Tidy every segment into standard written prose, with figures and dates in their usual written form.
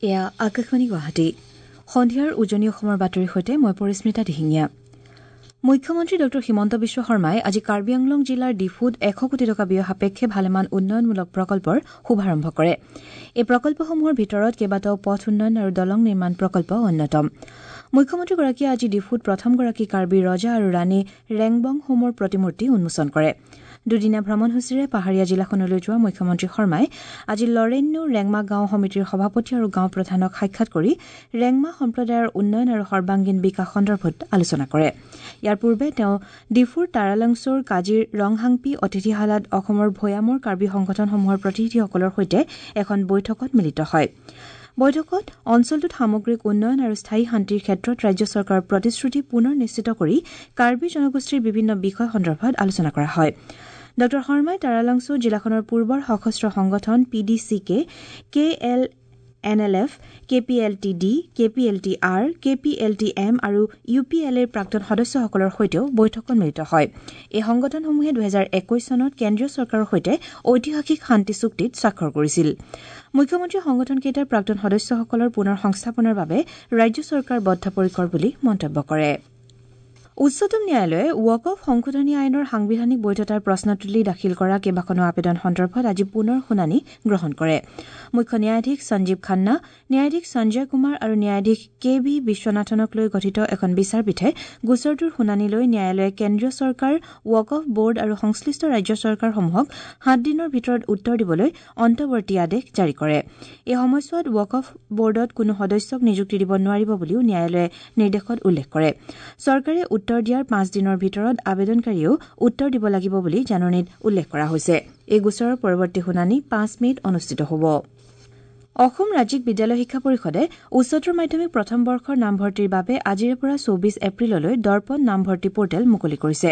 এয়া আকাশবাণী গুৱাহাটী। সন্ধিয়াৰ উজনি অসমৰ বাতৰিৰ সৈতে মই পৰিস্মিতা দিহিঙীয়া। মুখ্যমন্ত্ৰী ড হিমন্ত বিশ্ব শৰ্মাই আজি কাৰ্বি আংলং জিলাৰ ডিফুত 100 কোটি টকা ব্যয় সাপেক্ষে ভালেমান উন্নয়নমূলক প্ৰকল্পৰ শুভাৰম্ভ কৰে। এই প্ৰকল্পসমূহৰ ভিতৰত কেইবাটাও পথ উন্নয়ন আৰু দলং নিৰ্মাণ প্ৰকল্প অন্যতম। মুখ্যমন্ত্ৰীগৰাকীয়ে আজি ডিফুত প্ৰথমগৰাকী কাৰ্বি ৰজা আৰু ৰাণী ৰেংবং হোমৰ প্ৰতিমূৰ্তি উন্মোচন কৰে। দুদিনীয়া ভ্ৰমণসূচীৰে পাহাৰীয়া জিলাখনলৈ যোৱা মুখ্যমন্ত্ৰী শৰ্মাই আজি লৰেন্যু ৰেংমা গাঁও সমিতিৰ সভাপতি আৰু গাঁও প্ৰধানক সাক্ষাৎ কৰি ৰেংমা সম্প্ৰদায়ৰ উন্নয়ন আৰু সৰ্বাংগীন বিকাশ সন্দৰ্ভত আলোচনা কৰে। ইয়াৰ পূৰ্বে তেওঁ ডিফুৰ তাৰালংছুৰ কাজিৰ ৰংহাংপি অতিথিশালাত অসমৰ ভৈয়ামৰ কাৰ্বি সংগঠনসমূহৰ প্ৰতিনিধিসকলৰ সৈতে এখন বৈঠকত মিলিত হয়। বৈঠকত অঞ্চলটোত সামগ্ৰিক উন্নয়ন আৰু স্থায়ী শান্তিৰ ক্ষেত্ৰত ৰাজ্য চৰকাৰৰ প্ৰতিশ্ৰুতি পুনৰ নিশ্চিত কৰি কাৰ্বি জনগোষ্ঠীৰ বিভিন্ন বিষয় সন্দৰ্ভত আলোচনা কৰা হয়। ড শৰ্মাই তাৰালংছু জিলাখনৰ পূৰ্বৰ সশস্ত্ৰ সংগঠন P D C K, K L N L F, K P L T D, K P L T R, K P L T M আৰু ইউ পি এল এৰ প্ৰাক্তন সদস্যসকলৰ সৈতেও বৈঠকত মিলিত হয়। এই সংগঠনসমূহে 2021 চনত কেন্দ্ৰীয় চৰকাৰৰ সৈতে ঐতিহাসিক শান্তি চুক্তিত স্বাক্ষৰ কৰিছিল। মুখ্যমন্ত্ৰীয়ে সংগঠনকেইটাৰ প্ৰাক্তন সদস্যসকলৰ পুনৰ সংস্থাপনৰ বাবে ৰাজ্য চৰকাৰ বদ্ধপৰিকৰ বুলি মন্তব্য কৰে। উচ্চতম ন্যায়ালয়ে ৱাকফ সংশোধনী আইনৰ সাংবিধানিক বৈধতাৰ প্ৰশ্ন তুলি দাখিল কৰা কেইবাখনো আবেদন সন্দৰ্ভত আজি পুনৰ শুনানি গ্ৰহণ কৰে। মুখ্য ন্যায়াধীশ সঞ্জীৱ খান্না, ন্যায়াধীশ সঞ্জয় কুমাৰ আৰু ন্যায়াধীশ কে ভি বিশ্বনাথনক লৈ গঠিত এখন বিচাৰপীঠে গোচৰটোৰ শুনানি লৈ ন্যায়ালয়ে কেন্দ্ৰীয় চৰকাৰ, ৱাকফ বৰ্ড আৰু সংশ্লিষ্ট ৰাজ্য চৰকাৰসমূহক 7 দিনৰ ভিতৰত উত্তৰ দিবলৈ অন্তৱৰ্তী আদেশ জাৰি কৰে। এই সময়ছোৱাত ৱাকফ বৰ্ডত কোনো সদস্যক নিযুক্তি দিব নোৱাৰিব বুলিও ন্যায়ালয়ে নিৰ্দেশত উল্লেখ কৰে। চৰকাৰে উত্তৰ দিয়াৰ 5 দিনৰ ভিতৰত আবেদনকাৰীয়েও উত্তৰ দিব লাগিব বুলি জাননীত উল্লেখ কৰা হৈছে। এই গোচৰৰ পৰৱৰ্তী শুনানি 5 মে'ত অনুষ্ঠিত হ'ব। অসম ৰাজ্যিক বিদ্যালয় শিক্ষা পৰিষদে উচ্চতৰ মাধ্যমিক প্ৰথম বৰ্ষৰ নামভৰ্তিৰ বাবে আজিৰে পৰা 24 এপ্ৰিললৈ দৰ্পণ নামভৰ্তি পৰ্টেল মুকলি কৰিছে।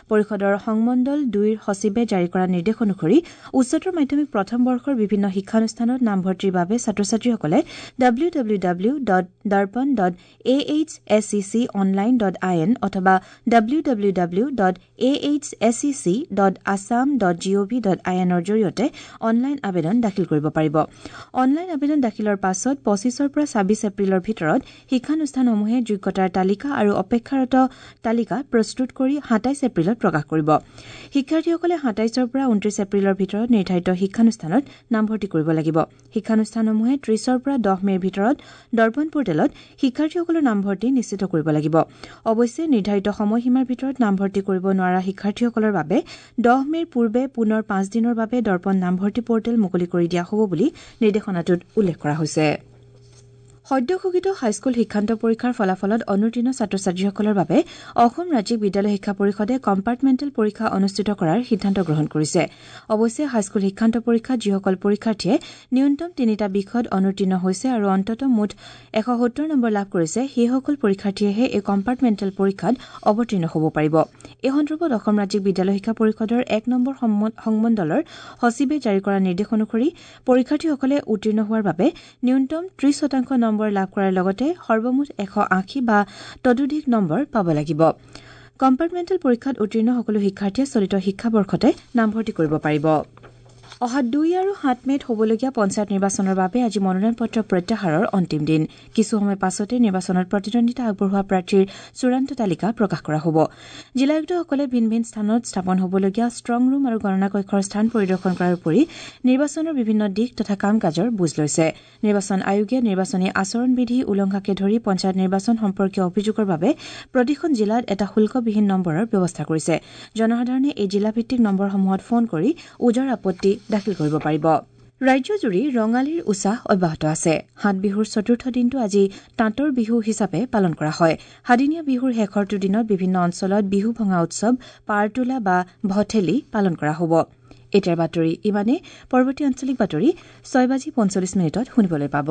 পৰিষদৰ সংমণ্ডল 2ৰ সচিবে জাৰি কৰা নিৰ্দেশ অনুসৰি উচ্চতৰ মাধ্যমিক প্ৰথম বৰ্ষৰ বিভিন্ন শিক্ষানুষ্ঠানত নামভৰ্তিৰ বাবে ছাত্ৰ ছাত্ৰীসকলে W W W dot Darpan dot A H S C C online dot I N অথবা W W W dot A H S C C dot Assam dot G O V dot I এনৰ জৰিয়তে online আবেদন দাখিল কৰিব পাৰিব। Online আবেদন দাখিলৰ পাছত 25ৰ পৰা 26 এপ্ৰিলৰ ভিতৰত শিক্ষানুষ্ঠানসমূহে যোগ্যতাৰ তালিকা আৰু অপেক্ষাৰত তালিকা প্ৰস্তুত কৰি 27 এপ্ৰিলত প্ৰকাশ কৰিব। শিক্ষাৰ্থীসকলে 27ৰ পৰা 29 এপ্ৰিলৰ ভিতৰত নিৰ্ধাৰিত শিক্ষানুষ্ঠানত নামভৰ্তি কৰিব লাগিব। শিক্ষানুষ্ঠানসমূহে 30ৰ পৰা 10 মে'ৰ ভিতৰত দৰ্পণ পৰ্টেলত শিক্ষাৰ্থীসকলৰ নামভৰ্তি নিশ্চিত কৰিব লাগিব। অৱশ্যে নিৰ্ধাৰিত সময়সীমাৰ ভিতৰত নামভৰ্তি কৰিব নোৱাৰা শিক্ষাৰ্থীসকলৰ বাবে 10 মে'ৰ পূৰ্বে পুনৰ 5 দিনৰ বাবে দৰ্পণ নামভৰ্তি পৰ্টেল মুকলি কৰি দিয়া হ'ব বুলি নিৰ্দেশনাটোত উল্লেখ কৰা হৈছে। সদ্য ঘোষিত হাইস্কুল শিক্ষান্ত পৰীক্ষাৰ ফলাফলত অনুত্তীৰ্ণ ছাত্ৰ ছাত্ৰীসকলৰ বাবে অসম ৰাজ্যিক বিদ্যালয় শিক্ষা পৰিষদে কম্পাৰ্টমেণ্টেল পৰীক্ষা অনুষ্ঠিত কৰাৰ সিদ্ধান্ত গ্ৰহণ কৰিছে। অৱশ্যে হাইস্কুল শিক্ষান্ত পৰীক্ষাত যিসকল পৰীক্ষাৰ্থীয়ে ন্যূনতম 3টা বিষয়ত অনুত্তীৰ্ণ হৈছে আৰু অন্ততঃ মুঠ 170 নম্বৰ লাভ কৰিছে, সেইসকল পৰীক্ষাৰ্থীয়েহে এই কম্পাৰ্টমেণ্টেল পৰীক্ষাত অৱতীৰ্ণ হ'ব পাৰিব। এই সন্দৰ্ভত অসম ৰাজ্যিক বিদ্যালয় শিক্ষা পৰিষদৰ 1 নম্বৰ সংমণ্ডলৰ সচিবে জাৰি কৰা নিৰ্দেশ অনুসৰি পৰীক্ষাৰ্থীসকলে উত্তীৰ্ণ হোৱাৰ বাবে ন্যূনতম 30% নম্বৰ লাভ কৰাৰ লগতে সৰ্বমুঠ 180 বা ততোধিক নম্বৰ পাব লাগিব। কম্পাৰ্টমেণ্টেল পৰীক্ষাত উত্তীৰ্ণ সকলো শিক্ষাৰ্থীয়ে চলিত শিক্ষাবৰ্ষতে নামভৰ্তি কৰিব পাৰিব। অহা 2 আৰু 7 মে'ত হ'বলগীয়া পঞ্চায়ত নিৰ্বাচনৰ বাবে আজি মনোনয়ন পত্ৰ প্ৰত্যাহাৰৰ অন্তিম দিন। কিছু সময় পাছতে নিৰ্বাচনত প্ৰতিদ্বন্দ্বিতা আগবঢ়োৱা প্ৰাৰ্থীৰ চূড়ান্ত তালিকা প্ৰকাশ কৰা হ'ব। জিলা আয়ুক্তসকলে ভিন ভিন স্থানত স্থাপন হ'বলগীয়া ষ্ট্ৰং ৰুম আৰু গণনা কক্ষৰ স্থান পৰিদৰ্শন কৰাৰ উপৰি নিৰ্বাচনৰ বিভিন্ন দিশ তথা কাম কাজৰ বুজ লৈছে। নিৰ্বাচন আয়োগে নিৰ্বাচনী আচৰণবিধি উলংঘাকে ধৰি পঞ্চায়ত নিৰ্বাচন সম্পৰ্কীয় অভিযোগৰ বাবে প্ৰতিখন জিলাত এটা শুল্কবিহীন নম্বৰৰ ব্যৱস্থা কৰিছে। জনসাধাৰণে এই জিলাভিত্তিক নম্বৰসমূহত ফোন কৰি ওজৰ আপত্তি দাখিল কৰিব পাৰিব। ৰাজ্যজুৰি ৰঙালীৰ উছাহ অব্যাহত আছে। সাত বিহুৰ চতুৰ্থ দিনটো আজি তাঁতৰ বিহু হিচাপে পালন কৰা হয়। সাদিনীয়া বিহুৰ শেষৰটো দিনত বিভিন্ন অঞ্চলত বিহু ভঙা উৎসৱ, পাৰতোলা বা ভঠেলি পালন কৰা হ'ব। এতিয়াৰ বাতৰি ইমানেই। পৰৱৰ্তী আঞ্চলিক বাতৰি 6:45 শুনিবলৈ পাব।